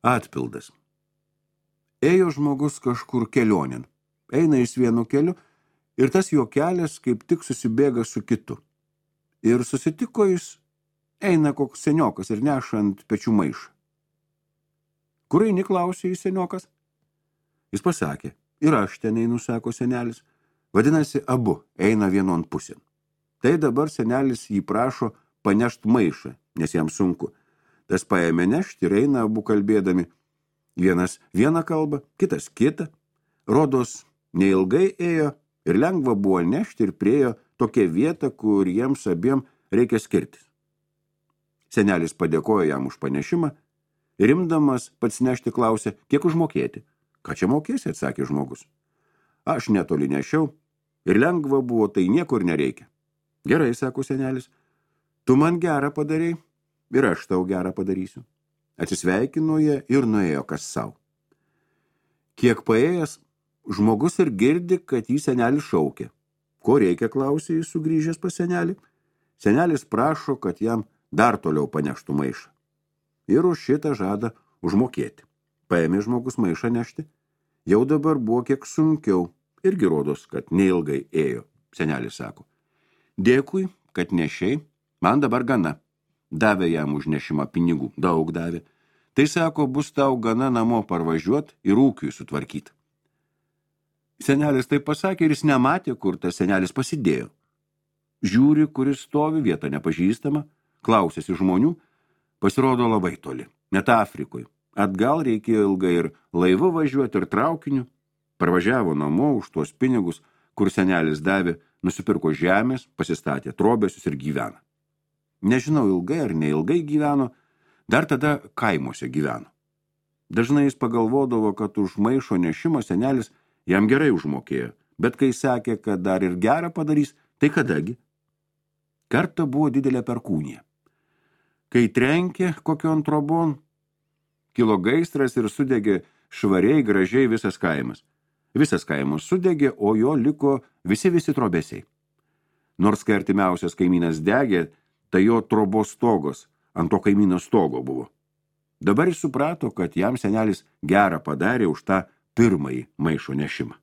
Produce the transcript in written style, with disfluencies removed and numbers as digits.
Atpildas. Ėjo žmogus kažkur kelionėn. Eina jis vienu keliu ir tas jo kelias kaip tik susibėga su kitu. Ir susitiko jis, eina koks seniokas ir neša ant pečių maišą. Kur eini, klausė jis seniokas? Jis pasakė, ir aš ten einu, sako senelis. Vadinasi, abu eina vienon pusėn. Tai dabar senelis jį prašo panešt maišą, nes jam sunku. Tas paėmė nešti ir eina abu kalbėdami. Vienas vieną kalbą, kitas kitą. Rodos neilgai ėjo ir lengva buvo nešti ir priejo tokia vieta, kur jiems abiem reikia skirtis. Senelis padėkojo jam už panešimą ir imdamas pats nešti klausė, kiek užmokėti. Ką čia mokėsi, atsakė žmogus. Aš netoli nešiau ir lengva buvo, tai niekur nereikia. Gerai, sako senelis, tu man gerą padarei ir aš tau gerą padarysiu. Atsisveikino jie ir nuėjo kas sau. Kiek paėjęs, žmogus ir girdi, kad jį senelis šaukia. Ko reikia, klausė jis sugrįžęs pas senelį. Senelis prašo, kad jam dar toliau paneštų maišą. Ir už šitą žada užmokėti. Paėmė žmogus maišą nešti. Jau dabar buvo kiek sunkiau. Irgi rodos, kad neilgai ėjo. Senelis sako, dėkui, kad nešiai, man dabar gana. Davė jam už nešimą pinigų, daug davė. Tai sako, bus tau gana namo parvažiuot ir ūkiui sutvarkyti. Senelis taip pasakė ir jis nematė, kur tas senelis pasidėjo. Žiūri, kuris stovi, vieta nepažįstama, klausėsi žmonių, pasirodo labai toli, net Afrikoje. Atgal reikėjo ilgai ir laivu važiuoti ir traukiniu. Parvažiavo namo už tuos pinigus, kur senelis davė, nusipirko žemės, pasistatė trobesius ir gyvena. Nežinau, ilgai ar neilgai gyveno, dar tada kaimuose gyveno. Dažnai jis pagalvodavo, kad už maišo nešimą senelis jam gerai užmokėjo, bet kai sakė, kad dar ir gerą padarys, tai kadagi? Kartą buvo didelė perkūnija. Kai trenkė kokion trobon, kilo gaisras ir sudegė švariai, gražiai visas kaimas. Visas kaimas sudegė, o jo liko visi trobesiai. Nors kai artimiausias kaimynas degė, tai jo trobos stogos ant to kaimyno stogo buvo. Dabar jis suprato, kad jam senelis gerą padarė už tą pirmąjį maišo nešimą.